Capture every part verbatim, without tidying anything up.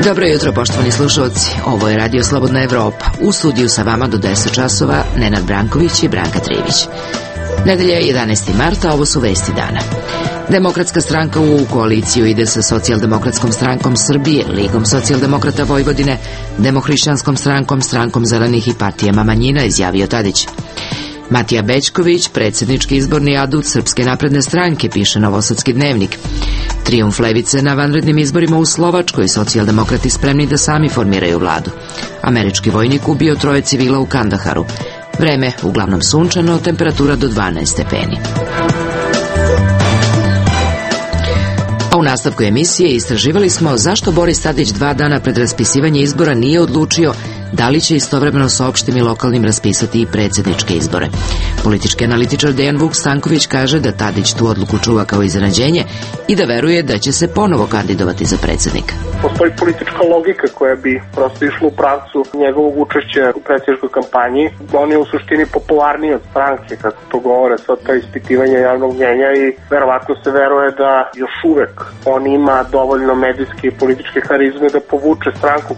Dobro jutro, poštovani slušalci. Ovo je Radio Slobodna Evropa. U studiju sa vama do deset časova Nenad Branković i Branka Trivić. Nedelja je jedanaesti marta, ovo su vesti dana. Demokratska stranka u koaliciju ide sa Socijaldemokratskom strankom Srbije, Ligom socijaldemokrata Vojvodine, Demohrišćanskom strankom, Strankom zelenih i partijama manjina, izjavio Tadić. Matija Bećković, predsjednički izborni adut Srpske napredne stranke, piše Novosadski dnevnik. Trijumf levice na vanrednim izborima u Slovačkoj, socijaldemokrati spremni da sami formiraju vladu. Američki vojnik ubio troje civila u Kandaharu. Vreme uglavnom sunčano, temperatura do dvanaest stepeni. A u nastavku emisije istraživali smo zašto Boris Tadić dva dana pred raspisivanje izbora nije odlučio da li će istovremeno sa opštim i lokalnim raspisati i predsjedničke izbore. Politički analitičar Dejan Vuk Stanković kaže da Tadić tu odluku čuva kao iznenađenje i da veruje da će se ponovo kandidovati za predsjednika. Postoji politička logika koja bi prosto išla u pravcu njegovog učešća u predsjedničkoj kampanji. On je u suštini popularniji od stranke, kako to govore sad ta ispitivanja javnog mnjenja, i verovatno se veruje da još uvek on ima dovoljno medijske i političke harizme da povuče stranku.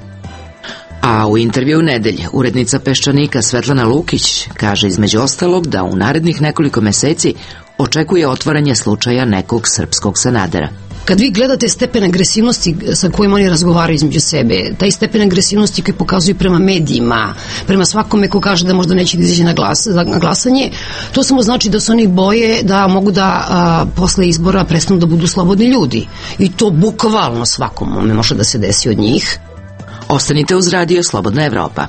A u intervju nedelje urednica Peščanika Svetlana Lukić kaže između ostalog da u narednih nekoliko meseci očekuje otvaranje slučaja nekog srpskog Sanadera. Kad vi gledate stepen agresivnosti sa kojim oni razgovaraju između sebe, taj stepen agresivnosti koji pokazuju prema medijima, prema svakome ko kaže da možda neće da izađe na, glas, na glasanje, to samo znači da se oni boje da mogu da a, posle izbora prestanu da budu slobodni ljudi. I to bukvalno svakom može da se desi od njih. Ostanite uz Radio Slobodna Evropa.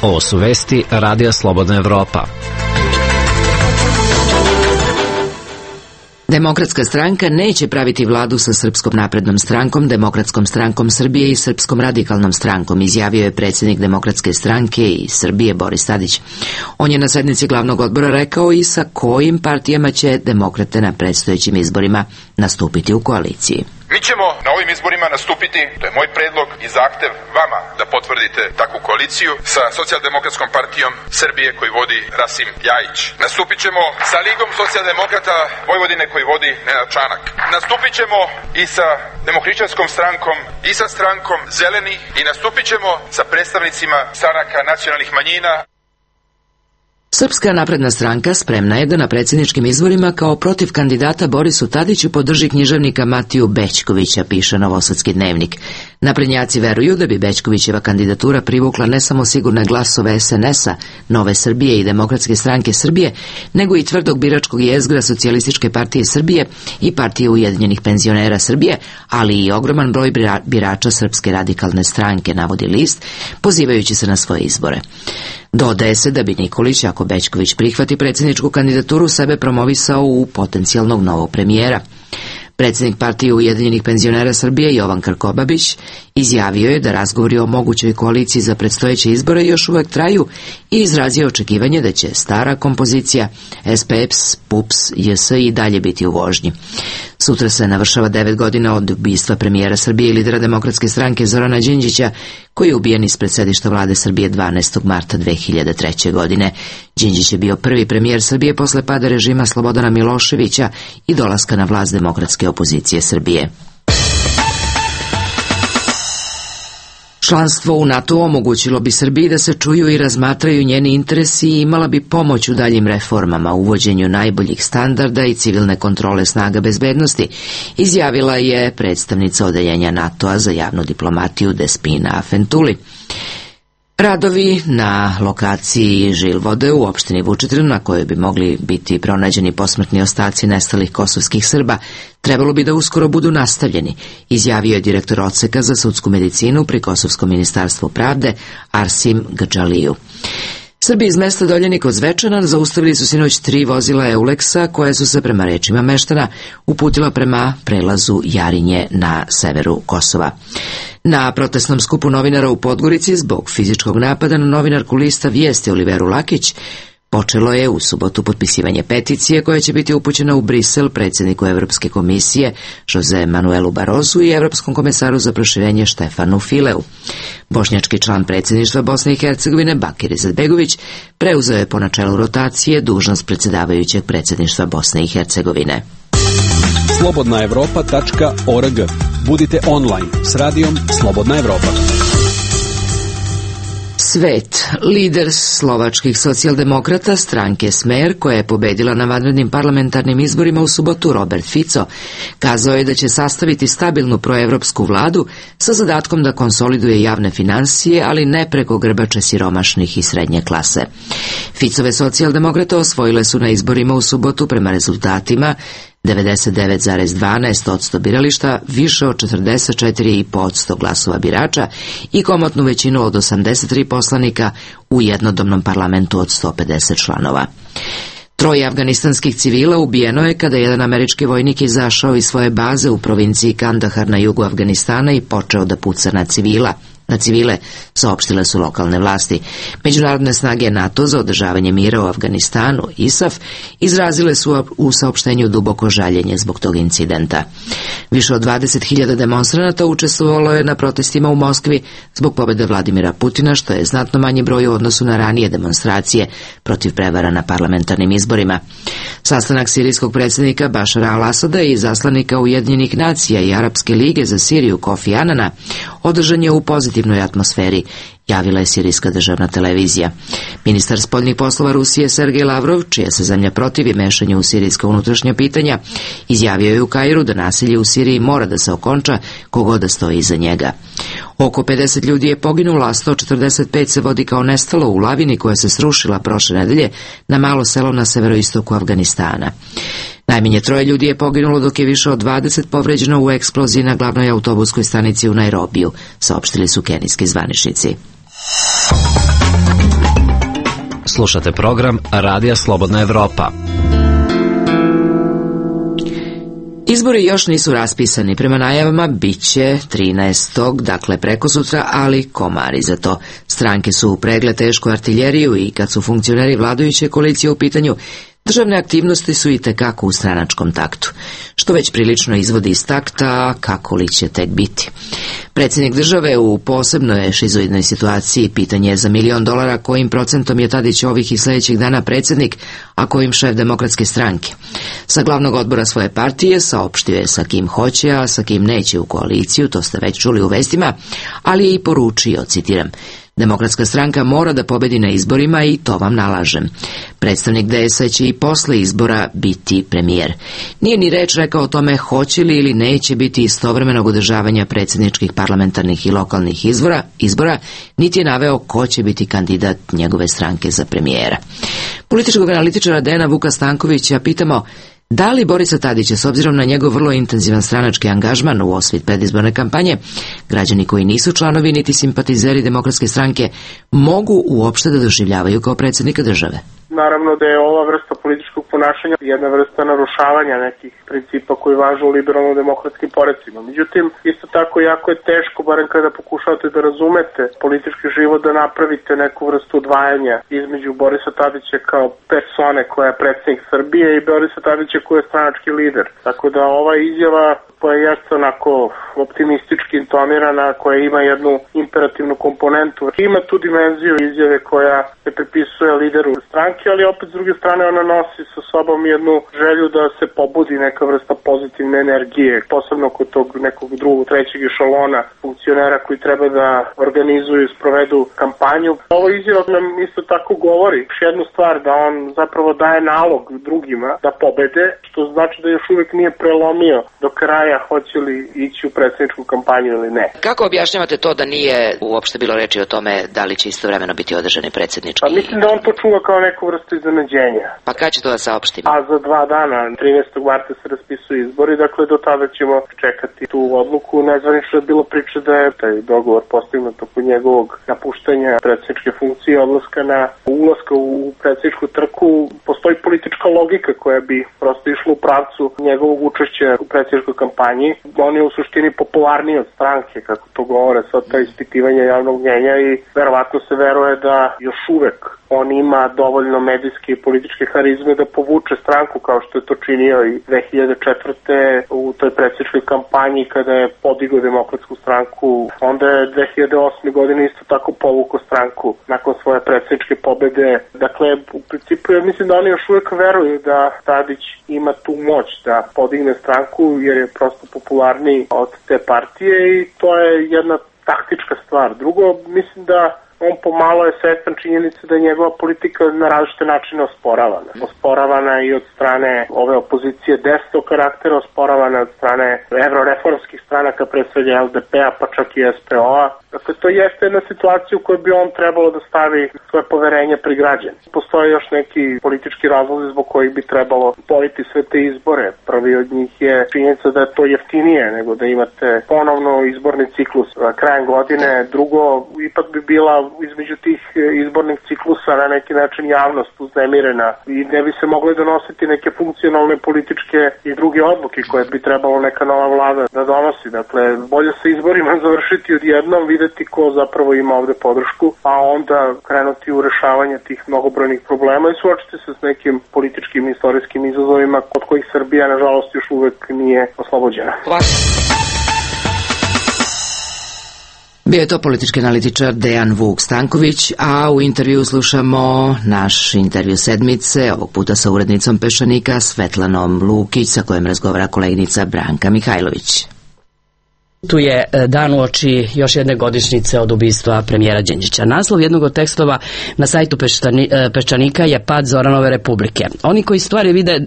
Ovo su vesti Radija Slobodna Evropa. Demokratska stranka neće praviti vladu sa Srpskom naprednom strankom, Demokratskom strankom Srbije i Srpskom radikalnom strankom, izjavio je predsjednik Demokratske stranke i Srbije Boris Tadić. On je na sednici glavnog odbora rekao i sa kojim partijama će demokrate na predstojećim izborima nastupiti u koaliciji. Mi ćemo na ovim izborima nastupiti, to je moj predlog i zahtev vama da potvrdite takvu koaliciju, sa Socijaldemokratskom partijom Srbije koju vodi Rasim Ljajić. Nastupit ćemo sa Ligom socijaldemokrata Vojvodine koju vodi Nenad Čanak. Nastupit ćemo i sa Demohrišćanskom strankom i sa Strankom zelenih i nastupit ćemo sa predstavnicima stranaka nacionalnih manjina. Srpska napredna stranka spremna je da na predsjedničkim izborima kao protiv kandidata Borisu Tadiću podrži književnika Matiju Bećkovića, piše Novosadski dnevnik. Naprednjaci veruju da bi Bećkovićeva kandidatura privukla ne samo sigurne glasove es en es a, Nove Srbije i Demokratske stranke Srbije, nego i tvrdog biračkog jezgra Socijalističke partije Srbije i Partije ujedinjenih penzionera Srbije, ali i ogroman broj birača Srpske radikalne stranke, navodi list, pozivajući se na svoje izbore. Dodaje se da bi Nikolić, ako Bećković prihvati predsjedničku kandidaturu, sebe promovisao u potencijalnog novog premijera. Predsjednik Partije ujedinjenih penzionera Srbije Jovan Krkobabić izjavio je da razgovori o mogućoj koaliciji za predstojeće izbore još uvek traju i izrazio očekivanje da će stara kompozicija es pe e pe es, pe u pe es, je es i dalje biti u vožnji. Sutra se navršava devet godina od ubistva premijera Srbije i lidera Demokratske stranke Zorana Đinđića, koji je ubijen ispred sedišta vlade Srbije dvanaestog marta dve hiljade treće. godine. Đinđić je bio prvi premijer Srbije posle pada režima Slobodana Miloševića i dolaska na vlast demokratske opozicije Srbije. Članstvo u NATO omogućilo bi Srbiji da se čuju i razmatraju njeni interesi i imala bi pomoć u daljim reformama, uvođenju najboljih standarda i civilne kontrole snaga bezbednosti, izjavila je predstavnica odeljenja NATO-a za javnu diplomatiju Despina Afentuli. Radovi na lokaciji Žilvode u opštini Vučitrn, na kojoj bi mogli biti pronađeni posmrtni ostaci nestalih kosovskih Srba, trebalo bi da uskoro budu nastavljeni, izjavio je direktor odseka za sudsku medicinu pri Kosovskom ministarstvu pravde Arsim Gadžaliju. Srbi iz mesta Doljenik kod Zvečana zaustavili su sinoć tri vozila Euleksa koje su se prema rečima meštana uputila prema prelazu Jarinje na severu Kosova. Na protestnom skupu novinara u Podgorici zbog fizičkog napada na novinarku lista Vijesti Oliveru Lakić počelo je u subotu potpisivanje peticije koja će biti upućena u Brisel predsjedniku Evropske komisije Jose Manuelu Barozu i Evropskom komesaru za proširenje Štefanu Fileu. Bošnjački član predsjedništva Bosne i Hercegovine Bakir Izetbegović preuzeo je po načelu rotacije dužnost predsjedavajućeg predsjedništva Bosne i Hercegovine. slobodna evropa tačka org. Budite online s radijom Slobodna Evropa. Svet, lider slovačkih socijaldemokrata stranke Smer, koja je pobedila na vanrednim parlamentarnim izborima u subotu, Robert Fico, kazao je da će sastaviti stabilnu proevropsku vladu sa zadatkom da konsoliduje javne finansije, ali ne preko grbače siromašnih i srednje klase. Ficove socijaldemokrate osvojile su na izborima u subotu prema rezultatima devedeset devet zarez dvanaest posto birališta, više od četrdeset četiri zarez pet posto glasova birača i komotnu većinu od osamdeset tri poslanika u jednodomnom parlamentu od sto pedeset članova. Troje afganistanskih civila ubijeno je kada jedan američki vojnik izašao iz svoje baze u provinciji Kandahar na jugu Afganistana i počeo da puca na civila. Na civile, saopštile su lokalne vlasti. Međunarodne snage NATO za održavanje mira u Afganistanu, I S A F, izrazile su u saopštenju duboko žaljenje zbog tog incidenta. Više od dvadeset hiljada demonstranata učestvovalo je na protestima u Moskvi zbog pobjede Vladimira Putina, što je znatno manji broj u odnosu na ranije demonstracije protiv prevara na parlamentarnim izborima. Sastanak sirijskog predsjednika Bašara al-Asada i zaslanika Ujedinjenih nacija i Arapske lige za Siriju Kofi Anana održan je u pozitivnoj atmosferi, javila je sirijska državna televizija. Ministar spoljnih poslova Rusije Sergej Lavrov, čija se zemlja protivi mešanju u sirijska unutrašnja pitanja, izjavio je u Kairu da nasilje u Siriji mora da se okonča kogod da stoji iza njega. Oko pedeset ljudi je poginulo, a sto četrdeset pet se vodi kao nestalo u lavini koja se srušila prošle nedelje na malo selo na severoistoku Afganistana. Najmanje troje ljudi je poginulo, dok je više od dvadeset povređeno u eksploziji na glavnoj autobuskoj stanici u Nairobiju, saopštili su kenijski zvaničnici. Slušate program Radija Slobodna Evropa. Izbori još nisu raspisani. Prema najavama bit će trinaestog, dakle prekosutra, ali komari za to. Stranke su upregle tešku artiljeriju i kad su funkcioneri vladajuće koalicije u pitanju, državne aktivnosti su i tekako u stranačkom taktu, što već prilično izvodi iz takta, kako li će tek biti. Predsjednik države u posebno je šizoidnoj situaciji. Pitanje je za milion dolara kojim procentom je Tadić ovih i sljedećih dana predsjednik, a kojim šef demokratske stranke. Sa glavnog odbora svoje partije saopštio je sa kim hoće, a sa kim neće u koaliciju, to ste već čuli u vestima, ali je i poručio, citiram, Demokratska stranka mora da pobedi na izborima i to vam nalažem. Predstavnik D S A će i posle izbora biti premijer. Nije ni reč rekao o tome hoće li ili neće biti istovremenog održavanja predsjedničkih, parlamentarnih i lokalnih izbora, izbora, niti je naveo ko će biti kandidat njegove stranke za premijera. Političkog analitičara Dejana Vuka Stankovića pitamo da li Borisa Tadića, s obzirom na njegov vrlo intenzivan stranački angažman u osvit predizborne kampanje, građani koji nisu članovi niti simpatizeri Demokratske stranke mogu uopšte da doživljavaju kao predsjednika države? Naravno da je ova vrsta političkog ponašanja jedna vrsta narušavanja nekih principa koji važu u liberalno-demokratskim porecima. Međutim, isto tako jako je teško, barem kada pokušavate da razumete politički život, da napravite neku vrstu odvajanja između Borisa Tadića kao persone koja je predsjednik Srbije i Borisa Tadića koja je stranački lider. Tako da ova izjava koja jeste onako optimistički intonirana, koja ima jednu imperativnu komponentu, ima tu dimenziju izjave koja se pripisuje lideru stranke, ali opet s druge strane ona nosi sa sobom jednu želju da se pobudi neka vrsta pozitivne energije, posebno kod tog nekog drugog, trećeg ešalona funkcionera koji treba da organizuju i sprovedu kampanju. Ovo izjava nam isto tako govori još jednu stvar, da on zapravo daje nalog drugima da pobede, što znači da još uvijek nije prelomio do kraja hoće li ići u predsjedničku kampanju ili ne. Kako objašnjavate to da nije uopšte bilo reči o tome da li će istovremeno biti održani predsjednički? Pa mislim da on to čuva kao neku vrstu iznenađenja. Pa kad će to da saopštimo? A za dva dana, trinaestog marta se raspisuju izbori, dakle do tada ćemo čekati tu odluku. Nezvanično je bilo priče da je taj dogovor postignut oko njegovog napuštanja predsjedničke funkcije, odlaska na ulaska u predsjedničku trku. Postoji politička logika koja bi prosto išla u pravcu njegovog učešća u predsjedničkoj kampanji. On je u suštini popularniji od stranke, kako to govore sad ta ispitivanja javnog mnjenja, i verovatno se veruje da još uvek on ima dovoljno medijske i političke harizme da povuče provuče stranku kao što je to činio i dve hiljade četvrte. u toj predsjedničkoj kampanji kada je podigao Demokratsku stranku. Onda je dve hiljade osme. godine isto tako povukao stranku nakon svoje predsjedničke pobede. Dakle, u principu ja mislim da oni još uvijek veruju da Tadić ima tu moć da podigne stranku jer je prosto popularniji od te partije i to je jedna taktička stvar. Drugo, mislim da on pomalo je svestan činjenice da je njegova politika na različite načine osporavana. Osporavana i od strane ove opozicije desnog karaktera, osporavana od strane evroreformskih stranaka, pre svega L D P-a, pa čak i S P O-a. Dakle, to jeste jedna situacija u kojoj bi on trebalo da stavi svoje poverenje pri građani. Postoje još neki politički razlozi zbog kojih bi trebalo boriti sve te izbore. Prvi od njih je činjenica da je to jeftinije nego da imate ponovno izborni ciklus krajem godine. Drugo, ipak bi bila između tih izbornih ciklusa na neki način javnost uznemirena i ne bi se mogle donositi neke funkcionalne političke i druge odluke koje bi trebalo neka nova vlada da donosi. Dakle, bolje se izborima završiti odjednom, videti ko zapravo ima ovde podršku, a onda krenuti u rešavanje tih mnogobrojnih problema i suočiti se s nekim političkim i istorijskim izazovima od kojih Srbija, nažalost, još uvek nije oslobođena. Bio je to politički analitičar Dejan Vuk Stanković, a u intervju slušamo naš intervju sedmice, ovog puta sa urednicom Peščanika Svetlanom Lukić, sa kojom razgovara koleginica Branka Mihajlović. Tu je dan uoči još jedne godišnjice od ubistva premijera Đinđića. Naslov jednog od tekstova na sajtu Peščanika je Pad Zoranove republike. Oni koji stvari vide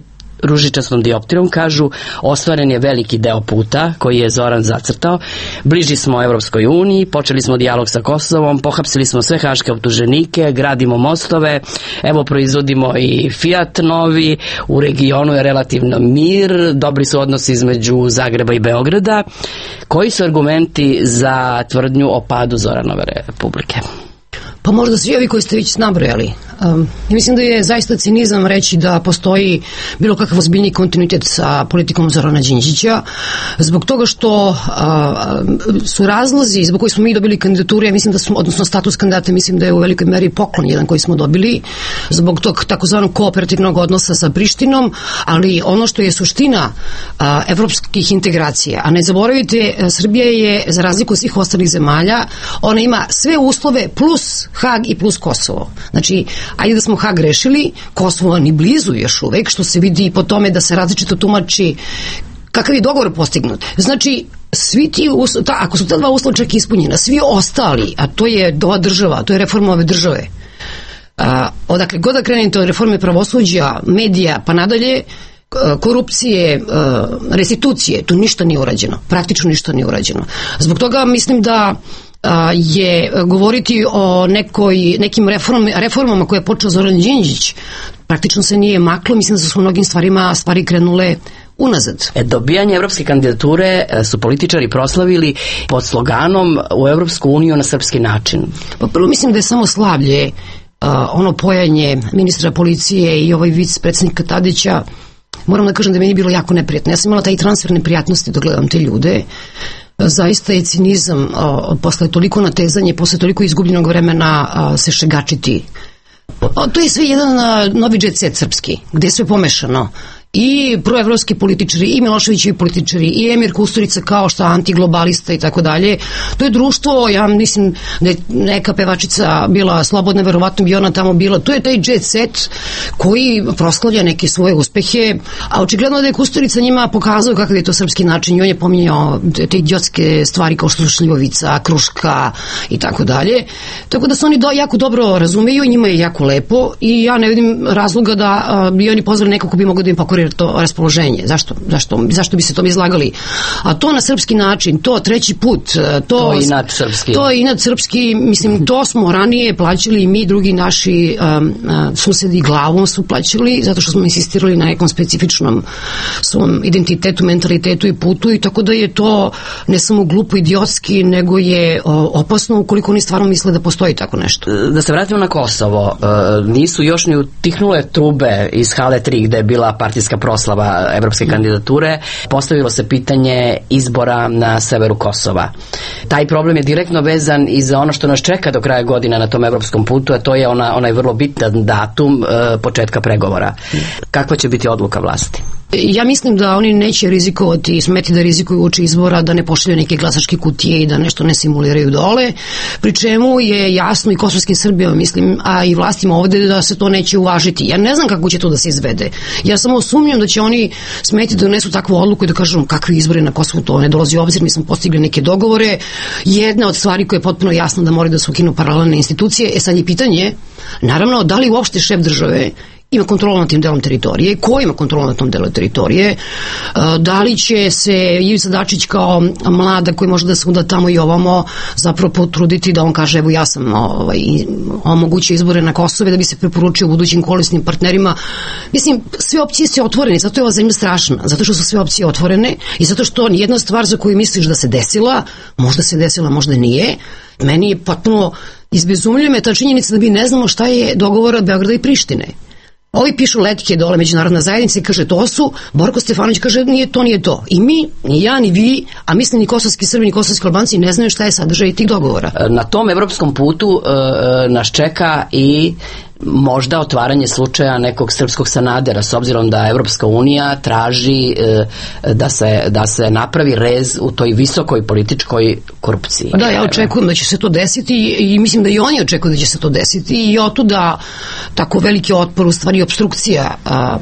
ružičastom dioptrijom kažu ostvaren je veliki deo puta koji je Zoran zacrtao, bliži smo Evropskoj uniji, počeli smo dijalog sa Kosovom, pohapsili smo sve haške optuženike, gradimo mostove, evo proizvodimo i Fiat novi, u regionu je relativno mir, dobri su odnosi između Zagreba i Beograda. Koji su argumenti za tvrdnju o padu Zoranove republike? Pa možda svi ovi koji ste već nabrojali. Um, mislim da je zaista cinizam reći da postoji bilo kakav ozbiljni kontinuitet sa politikom Zorana Đinđića, zbog toga što uh, su razlozi zbog koji smo mi dobili kandidaturu, ja mislim da smo, odnosno status kandidata, mislim da je u velikoj meri poklon jedan koji smo dobili, zbog tog takozvanog kooperativnog odnosa sa Prištinom, ali ono što je suština uh, evropskih integracija, a ne zaboravite, Srbija je, za razliku od svih ostalih zemalja, ona ima sve uslove plus Hag i plus Kosovo. Znači, ajde da smo Hag rešili, Kosovo ni blizu još uvek, što se vidi i po tome da se različito tumači kakav je dogovor postignut. Znači, svi ti uslovi, ta, ako su ta dva uslova čak ispunjena, svi ostali, a to je ova država, to je reforma ove države, a, odakle god da krenete od reforme pravosuđa, medija, pa nadalje, korupcije, restitucije, tu ništa nije urađeno. Praktično ništa nije urađeno. Zbog toga mislim da je govoriti o nekoj, nekim reform, reformama koje je počeo Zoran Đinđić, praktično se nije maklo, mislim da su u mnogim stvarima stvari krenule unazad. E, dobijanje evropske kandidature su političari proslavili pod sloganom u Evropsku uniju na srpski način. Pa prvo mislim da je samo slavlje uh, ono pojanje ministra policije i ovaj vic predsjednika Tadića. Moram da kažem da meni je bilo jako neprijatno. Ja sam imala taj transfer neprijatnosti da gledam te ljude. Zaista je cinizam o, posle toliko natezanje, posle toliko izgubljenog vremena a, se šegačiti. O, to je sve jedan a, novi jet set srpski, gde je sve pomešano. I proevropski političari, i Miloševićevi političari, i Emir Kusturica kao što antiglobalista i tako dalje. To je društvo, ja mislim da je neka pevačica bila slobodna, verovatno bi ona tamo bila. To je taj jet set koji proslavlja neke svoje uspehe, a očigledno da je Kusturica njima pokazao kakav je to srpski način i on je pominjao te idiotske stvari kao što su šljivovica, kruška i tako dalje. Tako da se oni do, jako dobro razumeju, njima je jako lepo i ja ne vidim razloga da a, bi oni pozvali nekog ko bi mogao da im pokori to raspoloženje. Zašto? Zašto? Zašto bi se to izlagali? A to na srpski način, to treći put, to, to je inat srpski. To je inat srpski, mislim, to smo ranije plaćali i mi, drugi naši um, susedi glavom su plaćali, zato što smo insistirali na nekom specifičnom svom identitetu, mentalitetu i putu i tako da je to ne samo glupo, idiotski, nego je o, opasno ukoliko oni stvarno misle da postoji tako nešto. Da se vratimo na Kosovo, nisu još ni utihnule trube iz Hale tri gde je bila partijska jubilarska proslava evropske kandidature, postavilo se pitanje izbora na severu Kosova. Taj problem je direktno vezan i za ono što nas čeka do kraja godina na tom evropskom putu, a to je ona, onaj vrlo bitan datum e, početka pregovora. Kakva će biti odluka vlasti? Ja mislim da oni neće rizikovati, smeti da rizikuju uoči izbora, da ne pošalju neke glasačke kutije i da nešto ne simuliraju dole, pri čemu je jasno i kosovskim Srbijama, mislim, a i vlastima ovde da se to neće uvažiti. Ja ne znam kako će to da se izvede. Ja samo sumnjam da će oni smeti da donesu takvu odluku i da kažu kakvi izbori na Kosovu, to ne dolazi u obzir, mi smo postigli neke dogovore. Jedna od stvari koja je potpuno jasna da moraju da se ukinu paralelne institucije, e sad je pitanje, naravno, da li uopšte šef države ima kontrolu nad tim delom teritorije, ko ima kontrolu nad tom delu teritorije, da li će se Ivica Dačić kao mlada koji može da se uda tamo i ovamo zapravo potruditi da on kaže evo ja sam ovaj, omogućio izbore na Kosove da bi se preporučio budućim koalisnim partnerima. Mislim, sve opcije su otvorene, zato je ova zemlja strašna, zato što su sve opcije otvorene i zato što nijedna stvar za koju misliš da se desila, možda se desila, možda nije. Meni je potpuno izbezumljuje me ta činjenica da mi ne znamo šta je dogovor od Beograda i Prištine. Ovi pišu letke dole međunarodna zajednica i kaže to su, Borko Stefanović kaže nije to, nije to. I mi, ni ja, ni vi, a mislim ni kosovski Srbi, ni kosovski Albanci ne znaju šta je sadržaj tih dogovora. Na tom evropskom putu e, nas čeka i možda otvaranje slučaja nekog srpskog Sanadera, s obzirom da Evropska unija traži e, da, se, da se napravi rez u toj visokoj političkoj korupciji. Da, ja očekujem da će se to desiti i mislim da i oni očekuju da će se to desiti i otuda tako veliki otpor, u stvari obstrukcija a,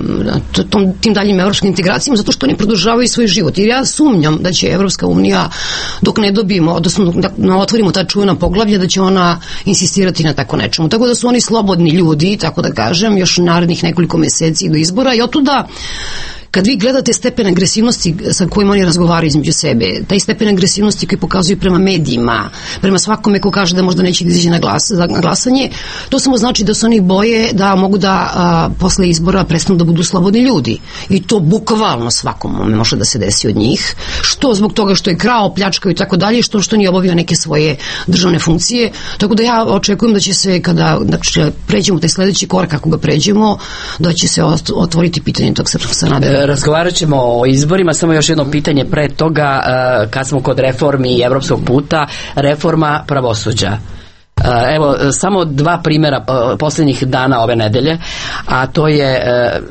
tom, tim daljim evropskim integracijama, zato što oni produžavaju svoj život. Jer ja sumnjam da će Evropska unija, dok ne dobijemo, odnosno da otvorimo ta čuvena poglavlja, da će ona insistirati na tako nečemu. Tako da su oni slobodni ljudi, tako da kažem, još narednih nekoliko meseci do izbora i otuda kad vi gledate stepen agresivnosti sa kojim oni razgovaraju između sebe, taj stepen agresivnosti koji pokazuju prema medijima, prema svakome ko kaže da možda neće da izađe na, glas, na glasanje, to samo znači da se oni boje da mogu da a, posle izbora prestanu da budu slobodni ljudi. I to bukvalno svakom može da se desi od njih. Što zbog toga što je krao, pljačkao i tako dalje, što što nije obavio neke svoje državne funkcije. Tako da ja očekujem da će se, kada dakle, pređemo taj sledeći korak, kako ga pređemo, da će se otvoriti pitanje tog srpskog Sanadera. Razgovarat ćemo o izborima, samo još jedno pitanje pre toga, kad smo kod reformi i evropskog puta, reforma pravosuđa. Evo, samo dva primjera posljednjih dana ove nedelje, a to je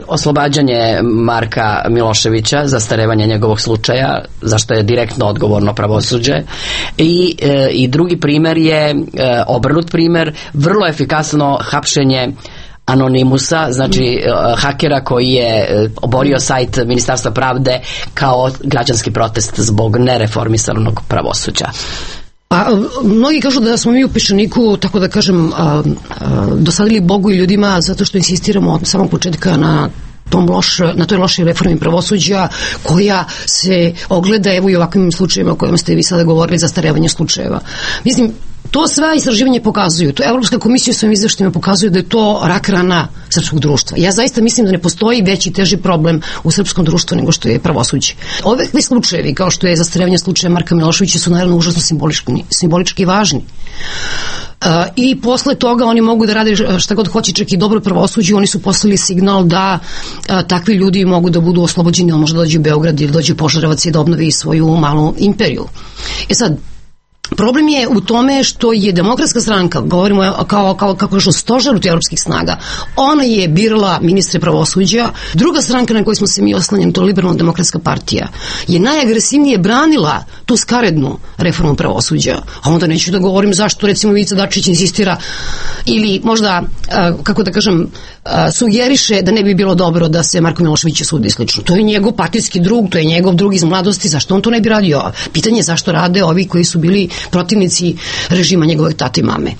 oslobađanje Marka Miloševića, zastarevanje njegovog slučaja, zašto je direktno odgovorno pravosuđe, i, i drugi primjer je obrnut primjer, vrlo efikasno hapšenje Anonimusa, znači hakera koji je oborio sajt Ministarstva pravde kao građanski protest zbog nereformisanog pravosuđa. Pa, mnogi kažu da smo mi u Peščaniku, tako da kažem, a, a, dosadili Bogu i ljudima zato što insistiramo od samog početka na tom loš, na toj lošoj reformi pravosuđa koja se ogleda evo i ovakvim slučajevima o kojima ste vi sada govorili, zastarevanje slučajeva. Mislim, to sve istraživanje pokazuju. To Evropska komisija u svojim izveštajima pokazuje da je to rak rana srpskog društva. Ja zaista mislim da ne postoji veći teži problem u srpskom društvu nego što je pravosuđe. Ove slučajevi, kao što je zastarevanje slučaja Marka Miloševića, su naravno užasno simbolički, simbolički važni. Uh, i posle toga oni mogu da rade šta god hoće, čak i dobro pravosuđe. Oni su poslali signal da uh, takvi ljudi mogu da budu oslobođeni, ili možda dođu u Beograd ili dođu u Požarevac i da obnovi svoju malu imperiju. E sad, problem je u tome što je Demokratska stranka, govorimo kao, kao, kako je što stožer ti evropskih snaga, ona je birala ministre pravosuđa. Druga stranka na kojoj smo se mi oslanjeni, to je Liberalno-demokratska partija, je najagresivnije branila tu skarednu reformu pravosuđa. A onda neću da govorim zašto recimo Ivica Dačić insistira ili možda, kako da kažem, sugeriše da ne bi bilo dobro da se Marko Milošević sudi slično. To je njegov partijski drug, to je njegov drug iz mladosti, zašto on to ne bi radio? Pitanje je zašto rade ovi koji su bili protivnici režima njegovog tate i mame.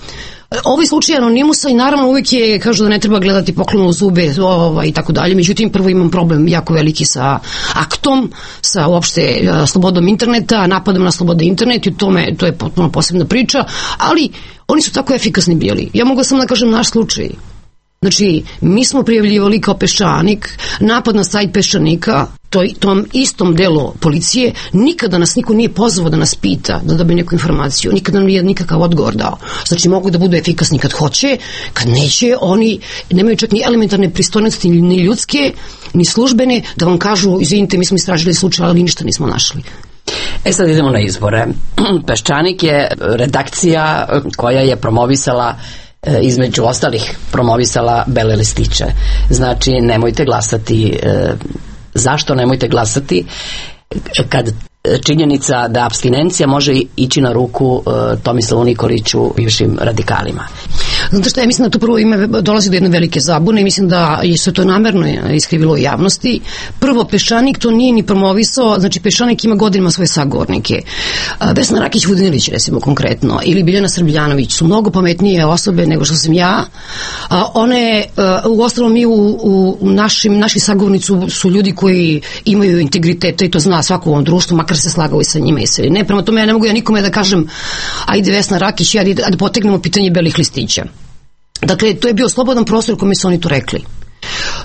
Ovaj slučaj Anonimusa i naravno uvijek je, kažu da ne treba gledati poklonu u zube ovaj, i tako dalje, međutim prvo imam problem jako veliki sa aktom, sa uopšte slobodom interneta, napadom na slobodu interneta i tome, to je potpuno posebna priča, ali oni su tako efikasni bili. Ja mogu samo da kažem naš slučaj. Znači, mi smo prijavljivali kao Peščanik napad na sajt Peščanika, toj, tom istom delu policije, nikada nas niko nije pozvao da nas pita, da dobije neku informaciju, nikada nam nije nikakav odgovor dao. Znači, mogu da budu efikasni kad hoće, kad neće, oni nemaju čak ni elementarne pristojnosti, ni ljudske, ni službene, da vam kažu, izvinite, mi smo istražili slučaj, ali ništa nismo našli. E sad idemo na izbore. Peščanik je redakcija koja je promovisala, između ostalih promovisala bele listiće. Znači, nemojte glasati. Zašto nemojte glasati? Kad činjenica da apstinencija može ići na ruku Tomislavu Nikoliću, bivšim radikalima. Znate šta, ja mislim da to prvo ime dolazi do jedne velike zabune i mislim da se to namerno iskrivilo u javnosti. Prvo, Peščanik to nije ni promovisao, znači Peščanik ima godinima svoje sagovornike. Vesna Rakić-Vodinilić, recimo konkretno, ili Biljana Srbljanović su mnogo pametnije osobe nego što sam ja. One, u ostalom mi u, u našim, naši sagovornici su ljudi koji imaju integriteta i to zna svako u ovom društvu, makar se slagao i sa njima i se. Ne, prema tome ja ne mogu ja nikome da kažem ajde Vesna Rakić, ajde da potegnemo pitanje belih listića. Dakle, to je bio slobodan prostor u kome su oni to rekli.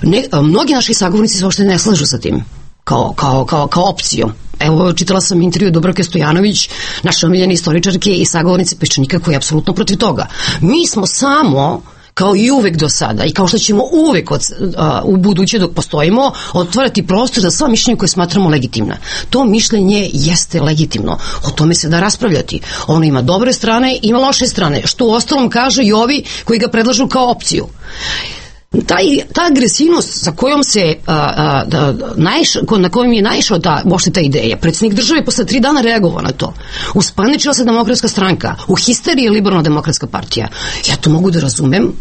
Ne, mnogi naši sagovornici se uopšte ne slažu sa tim, kao, kao, kao, kao opcijom. Evo, čitala sam intervju Dubravke Stojanović, naše omiljene istoričarke i sagovornice Peščanika, koji je apsolutno protiv toga. Mi smo samo, kao i uvek do sada i kao što ćemo uvek od, a, u buduće dok postojimo, otvarati prostor za sva mišljenja koje smatramo legitimna. To mišljenje jeste legitimno. O tome se da raspravljati. Ono ima dobre strane, ima loše strane, što u ostalom kaže i ovi koji ga predlažu kao opciju. Taj, ta agresivnost sa kojom se a, a, da, naiš, na kojom je naišao ta, uopšte ta ideja, predsjednik države posle tri dana reagovao na to. Uspaničila se Demokratska stranka, u histeriji je Liberalno-demokratska partija. Ja to mogu da razumem,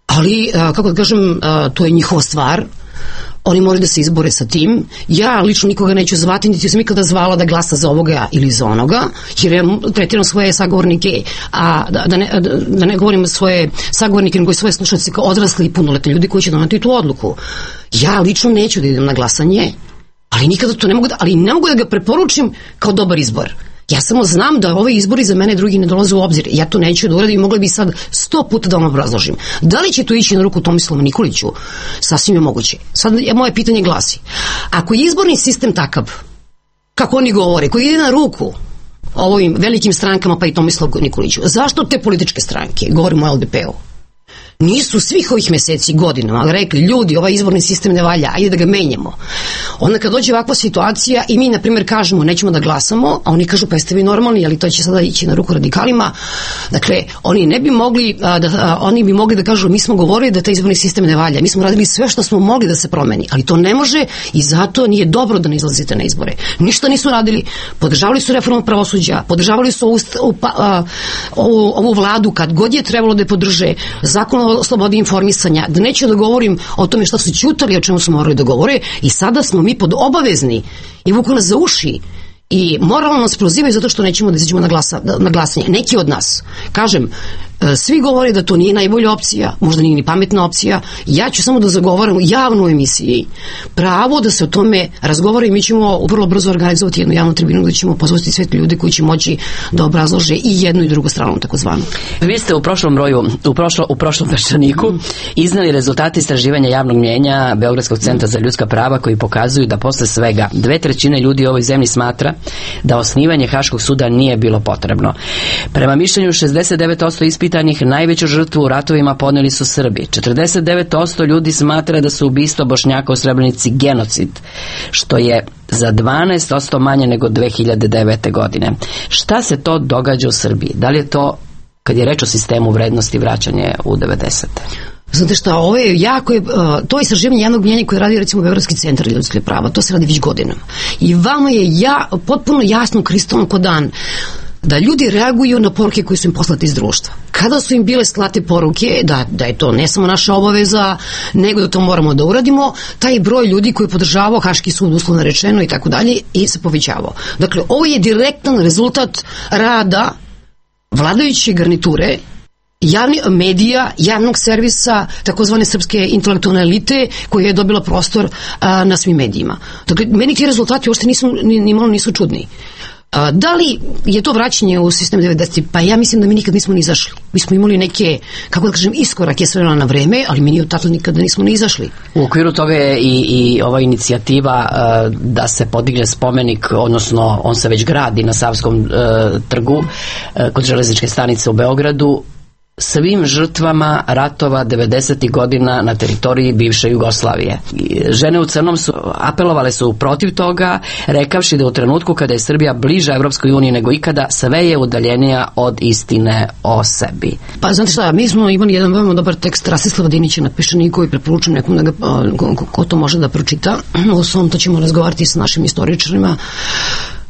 ali a, kako da kažem, a, to je njihova stvar. Oni moraju da se izbore sa tim. Ja lično nikoga neću zvati, niti sam nikada zvala da glasa za ovoga ili za onoga, jer ja tretiram svoje sagovornike, a da, da, ne, da ne govorim svoje sagovornike, nego i svoje slušalce kao odrasli i punoletni ljudi koji će doneti tu odluku. Ja lično neću da idem na glasanje, ali nikada to ne mogu da, ali ne mogu da ga preporučim kao dobar izbor. Ja samo znam da ove izbori za mene drugi ne dolaze u obzir. Ja to neću da uradim i mogla bi sad sto puta da vam obrazložim. Da li će to ići na ruku Tomislavu Nikoliću? Sasvim je moguće. Sad moje pitanje glasi. Ako je izborni sistem takav, kako oni govore, koji ide na ruku ovim velikim strankama pa i Tomislavu Nikoliću, zašto te političke stranke, govorimo o L D P-u, nisu svih ovih meseci, godinama rekli, ljudi, ovaj izborni sistem ne valja, ajde da ga menjamo. Onda kad dođe ovakva situacija i mi, na primjer, kažemo nećemo da glasamo, a oni kažu pa jeste vi normalni, ali to će sada ići na ruku radikalima. Dakle, oni ne bi mogli a, da, a, oni bi mogli da kažu mi smo govorili da taj izborni sistem ne valja, mi smo radili sve što smo mogli da se promeni, ali to ne može i zato nije dobro da ne izlazite na izbore. Ništa nisu radili, podržavali su reformu pravosuđa, podržavali su ovu, a, ovu, ovu vladu kad god je trebalo da je podrže, zakon o slobodi informisanja, da neću da govorim o tome šta su ćutali, o čemu su morali da govore i sada smo mi pod obavezni i vuku nas za uši i moralno nas prozivaju zato što nećemo da izađemo na, glasa, na glasanje. Neki od nas, kažem, svi govore da to nije najbolja opcija, možda nije ni pametna opcija. Ja ću samo da zagovaram u javnoj emisiji pravo da se o tome razgovara i mi ćemo vrlo brzo organizovati jednu javnu tribinu gde ćemo pozvati sve ljudi koji će moći da obrazlože i jednu i drugu stranu, takozvanu. Vi ste u prošlom broju, u, prošlo, u prošlom Peščaniku mm. iznali rezultate istraživanja javnog mnjenja Beogradskog centra za ljudska prava koji pokazuju da posle svega dve trećine ljudi u ovoj zemlji smatra da osnivanje Haškog suda nije bilo potrebno. Prema mišljenju šezdeset devet posto ispitanih najveću žrtvu u ratovima podneli su Srbi. četrdeset devet posto ljudi smatra da su ubistvo Bošnjaka u Srebrenici genocid, što je za dvanaest posto manje nego dve hiljade devete. godine. Šta se to događa u Srbiji? Da li je to, kad je reč o sistemu vrednosti, vraćanje u devedesete? Znate šta, ovo je jako je, to istraživanje javnog mnjenja koje radi recimo Beogradski centar za ljudska prava, to se radi već godinama. I vama je ja, potpuno jasno, kristalno ko dan, da ljudi reaguju na poruke koje su im poslate iz društva. Kada su im bile slate poruke da, da je to ne samo naša obaveza, nego da to moramo da uradimo, taj broj ljudi koji je podržavao Haški sud, uslovno rečeno i tako dalje, i se povećavao. Dakle, ovo je direktan rezultat rada vladajuće garniture, javni medija, javnog servisa, takozvane srpske intelektualne elite koja je dobila prostor a, na svim medijima. Dakle, meni ti rezultati uopšte nisu, ni, ni malo nisu čudni. A, da li je to vraćanje u sistem devedesetih? Pa ja mislim da mi nikad nismo ni izašli. Mi smo imali neke, kako da kažem, iskorake s vremena na vreme, ali mi ni od tako nikada nismo ni izašli. U okviru toga je i, i ova inicijativa uh, da se podigne spomenik, odnosno on se već gradi na Savskom uh, trgu uh, kod železničke stanice u Beogradu, svim žrtvama ratova devedesetih godina na teritoriji bivše Jugoslavije. Žene u crnom su apelovale su protiv toga, rekavši da u trenutku kada je Srbija bliža Evropskoj uniji nego ikada, sve je udaljenija od istine o sebi. Pa znate šta, mi smo imali jedan veoma dobar tekst Rastislava Dinića na Peščaniku i preporučujem nekom da ga, ko, ko to može da pročita. O svom to ćemo razgovarati sa našim istoričarima.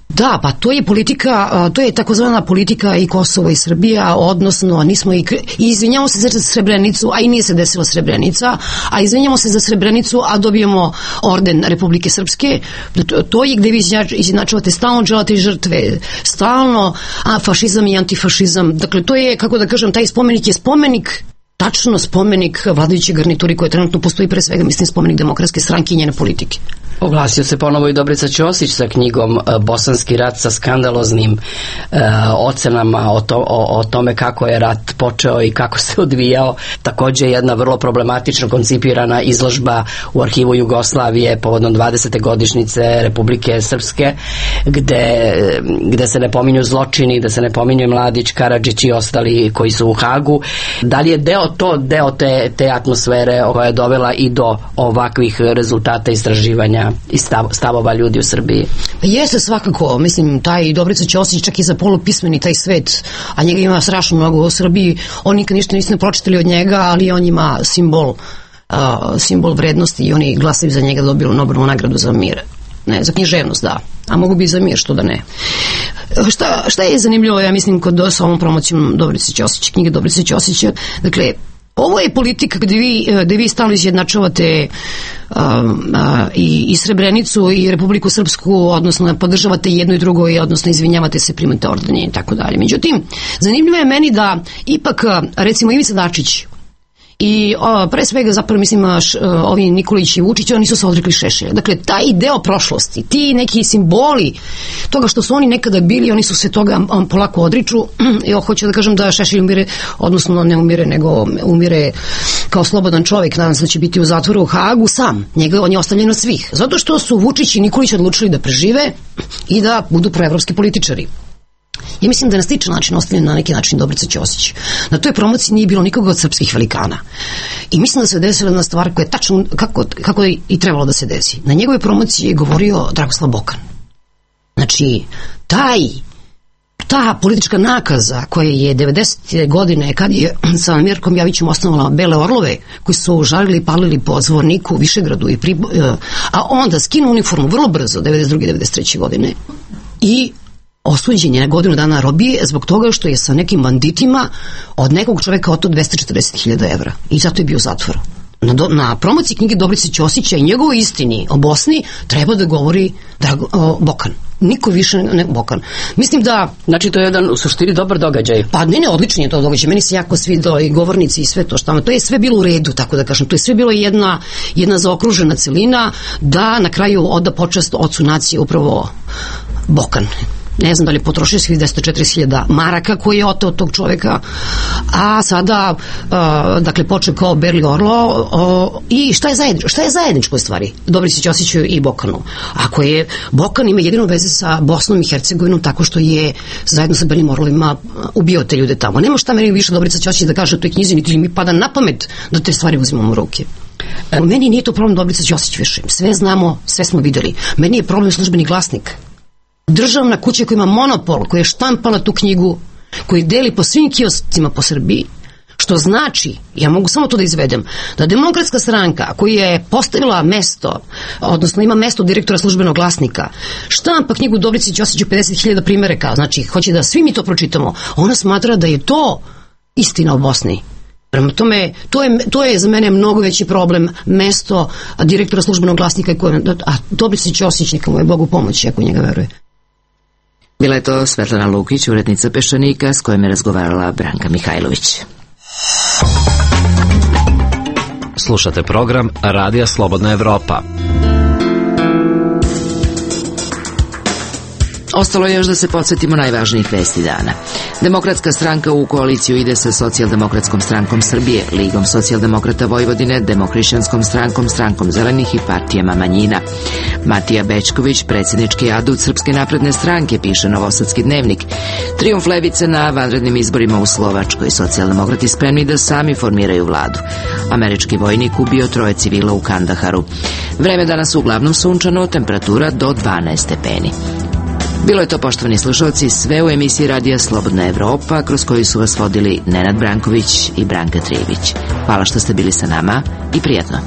Da, pa to je politika, to je takozvana politika i Kosovo i Srbija, odnosno nismo i, i izvinjamo se za Srebrenicu, a i nije se desila Srebrenica, a izvinjamo se za Srebrenicu, a dobijemo orden Republike Srpske. To, to je gde vi izjednačavate stalno želate žrtve, stalno a, fašizam i antifašizam. Dakle, to je, kako da kažem, taj spomenik je spomenik, tačno spomenik vladajuće garnituri koje trenutno postoji, pre svega mislim spomenik Demokratske stranke i njene politike. Oglasio se ponovo i Dobrica Ćosić sa knjigom Bosanski rat sa skandaloznim e, ocenama o, to, o, o tome kako je rat počeo i kako se odvijao. Takođe jedna vrlo problematično koncipirana izložba u arhivu Jugoslavije povodom dvadesete godišnjice Republike Srpske, gde, gde se ne pominju zločini, gde se ne pominju Mladić, Karadžić i ostali koji su u Hagu. Da li je deo to, deo te, te atmosfere koja je dovela i do ovakvih rezultata istraživanja i stav, stavova ljudi u Srbiji? Jeste svakako, mislim, taj Dobrica Ćosić čak i za polupismeni taj svet, a njega ima strašno mnogo u Srbiji, oni nikad ništa nisu ne pročitali od njega, ali on ima simbol, uh, simbol vrednosti i oni glasaju za njega, dobili Nobelovu nagradu za mir. Ne, za književnost, da. A mogu bi za mir, što da ne. Šta, šta je zanimljivo, ja mislim, kod s ovom promocijom Dobrice Ćosića, knjige Dobrice Ćosića, dakle, ovo je politika gde vi, gde vi stalno izjednačavate a, a, i, i Srebrenicu i Republiku Srpsku, odnosno podržavate jedno i drugo i odnosno izvinjavate se, primate ordenje i tako dalje. Međutim, zanimljivo je meni da ipak, recimo, Ivica Dačić i o, pre svega zapravo mislim š, ovi Nikolić i Vučić, oni su se odrekli Šešelja. Dakle, taj deo prošlosti, ti neki simboli toga što su oni nekada bili, oni su se toga on, polako odriču. Ja hoću da kažem da Šešelj umire, odnosno ne umire, nego umire kao slobodan čovjek, nadam se da će biti u zatvoru u Hagu sam. Njega, on je ostavljen od svih. Zato što su Vučić i Nikolić odlučili da prežive i da budu proevropski političari. Ja mislim da je na sličan način ostavljen na neki način Dobrica Ćosić. Na toj promociji nije bilo nikoga od srpskih velikana. I mislim da se desila jedna stvar koja je tačno kako, kako je i trebalo da se desi. Na njegove promociji je govorio Dragoslav Bokan. Znači, taj ta politička nakaza koja je devedesete godine kad je sa Mirkom Javićem osnovala Bele orlove koji su žarili i palili po Zvorniku, Višegradu i Pribo, a onda skinu uniformu vrlo brzo devedeset druge devedeset treće godine i osuđen je na godinu dana robije zbog toga što je sa nekim banditima od nekog čoveka oteo dvesta četrdeset hiljada evra i zato je bio u zatvoru. Na, do, na promociji knjige Dobrice Ćosića i njegovoj istini o Bosni treba da govori Drago, o, Bokan. Niko više ne Bokan. Mislim da... Znači to je jedan u suštini dobar događaj. Pa ne, ne, odličan je to događaj. Meni se jako svidelo i govornici i sve to što. To je sve bilo u redu, tako da kažem. To je sve bilo jedna, jedna zaokružena celina da na kraju oda počast ocu nacije upravo Bokan. Ne znam da li potrošio svih dvesta četrdeset hiljada maraka koji je oteo od tog čoveka, a sada uh, dakle počeo kao Berli Orlo uh, i šta je zajedničko? Šta je zajedničko u stvari? Dobrici Ćosiću i Bokanu. Ako je Bokan ima jedinu veze sa Bosnom i Hercegovinom tako što je zajedno sa Belim Orlovima ubio te ljude tamo. Nema šta meni više Dobrica Ćosić da kaže u toj knjizi, niti mi pada na pamet da te stvari uzimamo u ruke. U meni nije to problem Dobrica Ćosić više. Sve znamo, sve smo videli. Meni je problem Službeni glasnik. Državna kuća koja ima monopol, koja je štampala tu knjigu, koji deli po svim kioscima po Srbiji, što znači, ja mogu samo to da izvedem, da Demokratska stranka koja je postavila mesto, odnosno ima mesto direktora Službenog glasnika, štampa knjigu Dobrici Ćosiću pedeset hiljada primeraka, znači hoće da svi mi to pročitamo, ona smatra da je to istina o Bosni. Prema tome, to je, to je za mene mnogo veći problem mesto direktora Službenog glasnika, koje, a Dobrici Ćosić neka mu je Bogu pomoći ako njega veruje. Bila je to Svetlana Lukić, urednica Peščanika, s kojom je razgovarala Branka Mihajlović. Slušate program Radija Slobodna Evropa. Ostalo je još da se podsjetimo najvažnijih vesti dana. Demokratska stranka u koaliciju ide sa Socijaldemokratskom strankom Srbije, Ligom socijaldemokrata Vojvodine, Demohrišćanskom strankom, strankom zelenih i partijama manjina. Matija Bećković, predsjednički adut Srpske napredne stranke, piše Novosadski dnevnik. Trijumf levice na vanrednim izborima u Slovačkoj. Socijaldemokrati spremni da sami formiraju vladu. Američki vojnik ubio troje civila u Kandaharu. Vreme danas uglavnom sunčano, temperatura do dvanaest stepeni. Bilo je to, poštovani slušalci, sve u emisiji Radija Slobodna Evropa, kroz koju su vas vodili Nenad Branković i Branka Trijević. Hvala što ste bili sa nama i prijatno.